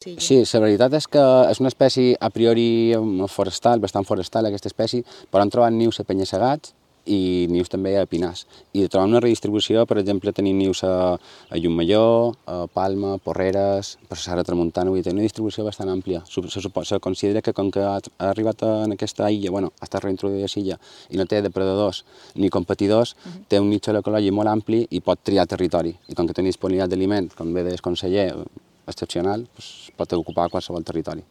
Sí, la veritat és que és una espècie a priori forestal, bastant forestal aquesta espècie, però han trobat nius a penya-segats i nius també a pinars. I trobem una redistribució, per exemple, tenim nius a Llucmajor, a Palma, Porreres, per la Serra Tramuntana, vull dir, una distribució bastant àmplia. Se considera que com que ha arribat en aquesta illa, ha estat reintroduïda a l'illa i no té depredadors ni competidors, té un nicho ecològic molt ampli i pot triar territori. I com que té disponibilitat d'aliment, com bé deia el conseller, excepcional, pot ocupar qualsevol territori.